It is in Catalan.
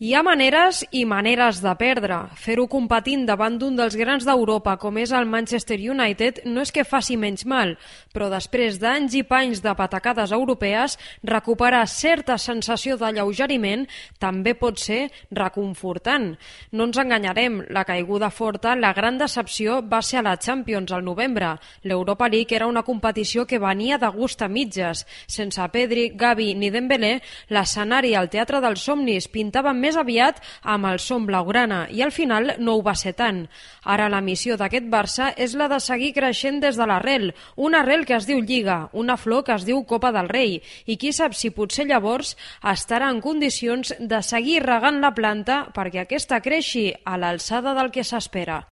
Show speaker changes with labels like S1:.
S1: Hi ha maneres i maneres de perdre. Fer-ho competint davant d'un dels grans d'Europa, com és el Manchester United, no és que faci menys mal, però després d'anys i panys de patacades europees, recuperar certa sensació d'alleugeriment també pot ser reconfortant. No ens enganyarem, la caiguda forta, la gran decepció va ser a la Champions al novembre. L'Europa League era una competició que venia de gust a mitges. Sense Pedri, Gavi ni Dembélé, l'escenari al Teatre dels Somnis pintava més aviat amb el son blaugrana i al final no ho va ser tant. Ara la missió d'aquest Barça és la de seguir creixent des de l'arrel, una arrel que es diu Lliga, una flor que es diu Copa del Rei, i qui sap si potser llavors estarà en condicions de seguir regant la planta perquè aquesta creixi a l'alçada del que s'espera.